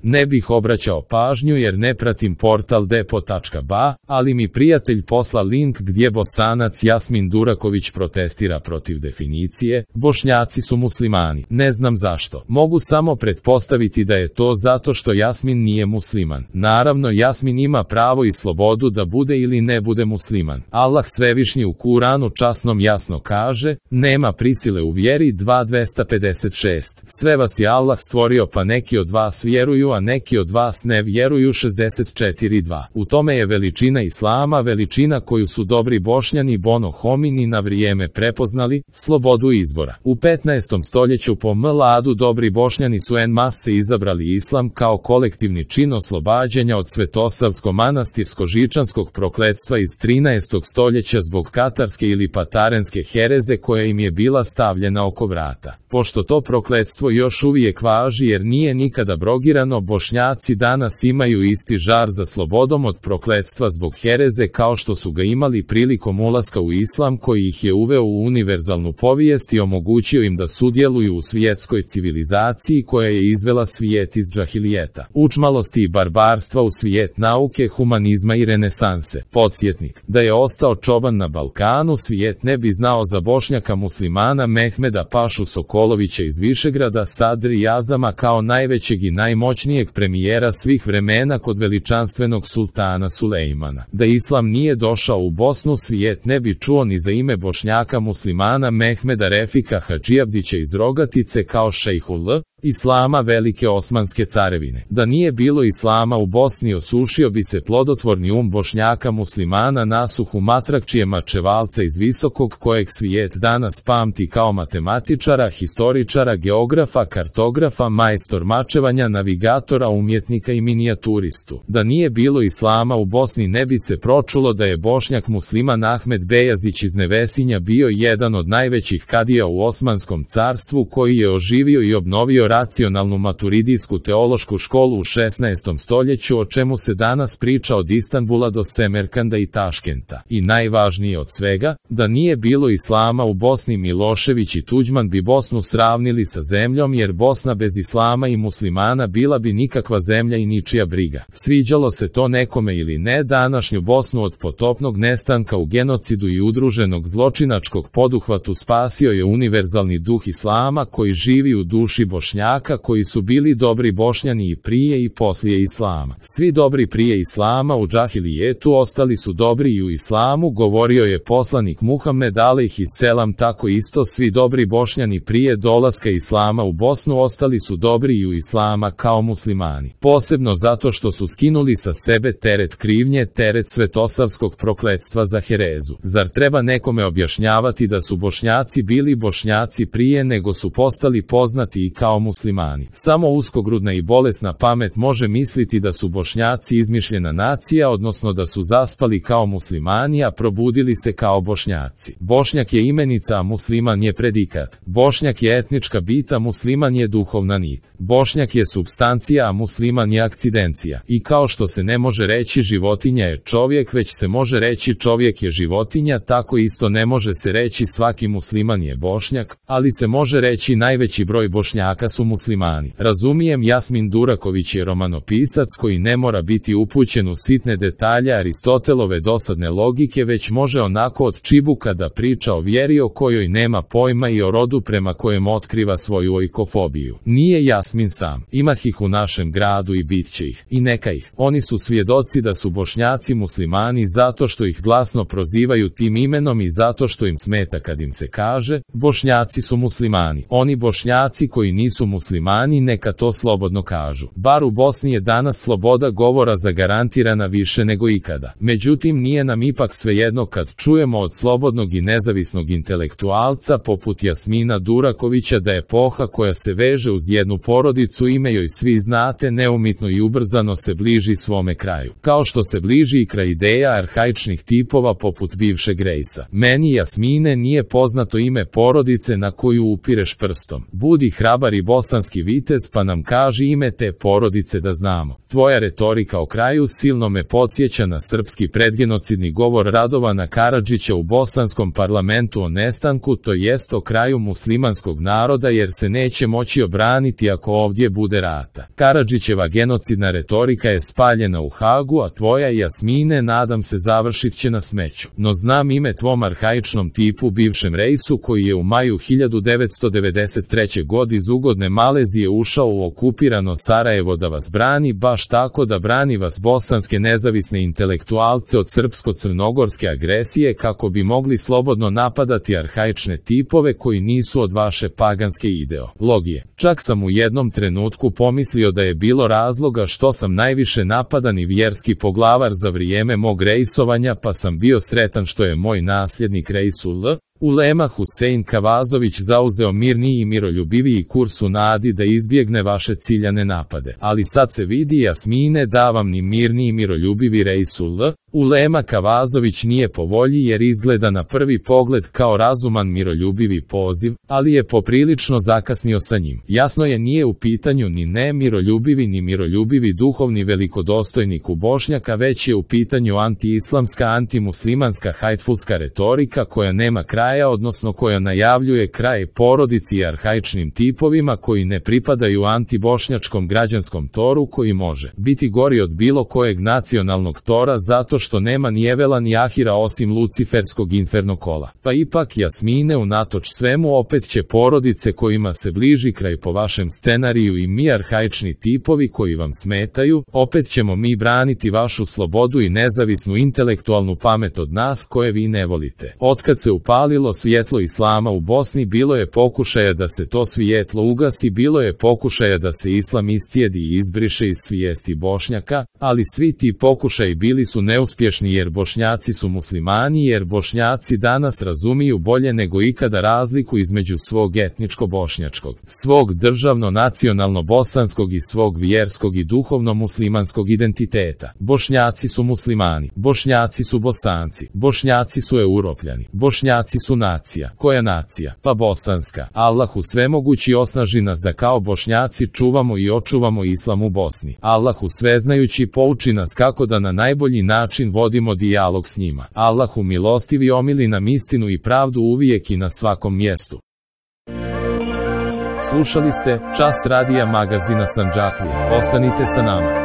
Ne bih obraćao pažnju jer ne pratim portal depo.ba, ali mi prijatelj posla link gdje Bosanac Jasmin Duraković protestira protiv definicije Bošnjaci su muslimani. Ne znam zašto. Mogu samo pretpostaviti da je to zato što Jasmin nije musliman. Naravno, Jasmin ima pravo i slobodu da bude ili ne bude musliman. Allah Svevišnji u Kuranu časnom jasno kaže: nema prisile u vjeri. 2:256. Sve vas je Allah stvorio, pa neki od vas vjeruju, a neki od vas ne vjeruju. 64:2. U tome je veličina Islama, veličina koju su dobri Bošnjani Bono Homini na vrijeme prepoznali, slobodu izbora. U 15. stoljeću po miladu dobri Bošnjani su en masse izabrali Islam kao kolektivni čin oslobađanja od svetosavsko-manastirsko-žičanskog prokletstva iz 13. stoljeća zbog katarske ili patarenske hereze koja im je bila stavljena oko vrata. Pošto to prokletstvo još uvijek važi jer nije nikada abrogirano, Bošnjaci danas imaju isti žar za slobodom od prokletstva zbog hereze kao što su ga imali prilikom ulaska u Islam koji ih je uveo u univerzalnu povijest i omogućio im da sudjeluju u svjetskoj civilizaciji koja je izvela svijet iz džahilijeta, učmalosti i barbarstva u svijet nauke, humanizma i renesanse. Podsjetnik, da je ostao čoban na Balkanu, svijet ne bi znao za Bošnjaka muslimana Mehmeda Pašu Sokolovića iz Višegrada, Sadri Azama kao najvećeg i najmoćnijeg premijera svih vremena kod veličanstvenog sultana Sulejmana. Da Islam nije došao u Bosnu, svijet ne bi čuo ni za ime Bošnjaka muslimana Mehmeda Refika Hadžijabdića iz Rogatice kao šejhul Islama Velike Osmanske carevine. Da nije bilo Islama u Bosni, osušio bi se plodotvorni Bošnjaka muslimana Nasuhu Matrakčije Mačevalca iz Visokog, kojeg svijet danas pamti kao matematičara, historičara, geografa, kartografa, majstor mačevanja, navigatora, umjetnika i minijaturistu. Da nije bilo Islama u Bosni, ne bi se pročulo da je Bošnjak musliman Ahmed Bejazić iz Nevesinja bio jedan od najvećih kadija u Osmanskom carstvu, koji je oživio i obnovio racionalnu maturidijsku teološku školu u 16. stoljeću, o čemu se danas priča od Istanbula do Semerkanda i Taškenta. I najvažnije od svega, da nije bilo Islama u Bosni, Milošević i Tuđman bi Bosnu sravnili sa zemljom, jer Bosna bez Islama i muslimana bila bi nikakva zemlja i ničija briga. Sviđalo se to nekome ili ne, današnju Bosnu od potopnog nestanka u genocidu i udruženog zločinačkog poduhvatu spasio je univerzalni duh Islama koji živi u duši Bošnjaka, koji su bili dobri Bošnjani i prije i poslije Islama. Svi dobri prije Islama u džahilijetu ostali su dobri i u Islamu, govorio je poslanik Muhammed alejhiselam. Tako isto svi dobri Bošnjani prije dolaska Islama u Bosnu ostali su dobri i u Islama kao muslimani. Posebno zato što su skinuli sa sebe teret krivnje, teret svetosavskog prokletstva za herezu. Zar treba nekome objašnjavati da su Bošnjaci bili Bošnjaci prije nego su postali poznati i kao muslimani? Samo uskogrudna i bolesna pamet može misliti da su Bošnjaci izmišljena nacija, odnosno da su zaspali kao muslimani, a probudili se kao Bošnjaci. Bošnjak je imenica, a musliman je predikat. Bošnjak je etnička bit, a musliman je duhovna nit. Bošnjak je supstancija, a musliman je akcidencija. I kao što se ne može reći životinja je čovjek, već se može reći čovjek je životinja, tako isto ne može se reći svaki musliman je Bošnjak, ali se može reći najveći broj Bošnjaka su muslimani. Razumijem, Jasmin Duraković je romanopisac koji ne mora biti upućen u sitne detalje Aristotelove dosadne logike, već može onako od čibuka da priča o vjeri o kojoj nema pojma i o rodu prema kojem otkriva svoju oikofobiju. Nije Jasmin sam. Imah ih u našem gradu i bit će ih. I neka ih. Oni su svjedoci da su Bošnjaci muslimani zato što ih glasno prozivaju tim imenom i zato što im smeta kad im se kaže Bošnjaci su muslimani. Oni Bošnjaci koji nisu muslimani neka to slobodno kažu. Bar u Bosni je danas sloboda govora zagarantirana više nego ikada. Međutim, nije nam ipak svejedno kad čujemo od slobodnog i nezavisnog intelektualca poput Jasmina Durakovića da epoha koja se veže uz jednu porodicu, ime joj svi znate, neumitno i ubrzano se bliži svome kraju. Kao što se bliži i kraj ideja arhaičnih tipova poput bivšeg Rejsa. Meni, Jasmine, nije poznato ime porodice na koju upireš prstom. Budi hrabar i bosanski vitez, pa nam kaži ime te porodice da znamo. Tvoja retorika o kraju silno me podsjeća na srpski predgenocidni govor Radovana Karadžića u bosanskom parlamentu o nestanku, to jest o kraju muslimanskog naroda, jer se neće moći obraniti ako ovdje bude rata. Karadžićeva genocidna retorika je spaljena u Hagu, a tvoja, Jasmine, nadam se završit će na smeću. No znam ime tvom arhaičnom tipu, bivšem Reisu, koji je u maju 1993. godine iz ugodne Malezije ušao u okupirano Sarajevo da vas brani, baš tako da brani vas bosanske nezavisne intelektualce od srpsko-crnogorske agresije, kako bi mogli slobodno napadati arhaične tipove koji nisu od vaše paganske ideologije. Čak sam u jednom trenutku pomislio da je bilo razloga što sam najviše napadan i vjerski poglavar za vrijeme mog rejsovanja, pa sam bio sretan što je moj nasljednik Reisul Ulema Husein Kavazović zauzeo mirniji i miroljubiviji kurs u nadi da izbjegne vaše ciljane napade. Ali sad se vidi, Jasmine, da vam ni mirni i miroljubivi Reisul Ulema Kavazović nije po volji, jer izgleda na prvi pogled kao razuman miroljubivi poziv, ali je poprilično zakasnio sa njim. Jasno je, nije u pitanju ni miroljubivi ni miroljubivi duhovni velikodostojnik u Bošnjaka, već je u pitanju anti-islamska, antimuslimanska hajtfulska retorika koja nema kraja, odnosno koja najavljuje kraj porodici i arhaičnim tipovima koji ne pripadaju antibošnjačkom građanskom toru, koji može biti gori od bilo kojeg nacionalnog tora zato što nema ni Evela ni Ahira osim luciferskog infernokola. Pa ipak, Jasmine, unatoč svemu opet će porodice kojima se bliži kraj po vašem scenariju i mi arhaični tipovi koji vam smetaju, opet ćemo mi braniti vašu slobodu i nezavisnu intelektualnu pamet od nas koje vi ne volite. Otkad se upalilo svjetlo islama u Bosni, bilo je pokušaja da se to svjetlo ugasi, bilo je pokušaja da se islam iscijedi i izbriše iz svijesti Bošnjaka, ali svi ti pokušaji bili su neuspješni, jer Bošnjaci su muslimani, jer Bošnjaci danas razumiju bolje nego ikada razliku između svog etničko-bošnjačkog, svog državno-nacionalno-bosanskog i svog vjerskog i duhovno-muslimanskog identiteta. Bošnjaci su muslimani, Bošnjaci su Bosanci, Bošnjaci su Europljani, Bošnjaci su nacija. Koja nacija? Pa bosanska. Allahu svemogući osnaži nas da kao Bošnjaci čuvamo i očuvamo islam u Bosni. Allahu sveznajući pouči nas kako da na najbolji način vodimo dijalog s njima. Allahu milostivi omili nam istinu i pravdu uvijek i na svakom mjestu. Slušali ste Čas radija magazina Sandžaklija. Ostanite sa nama.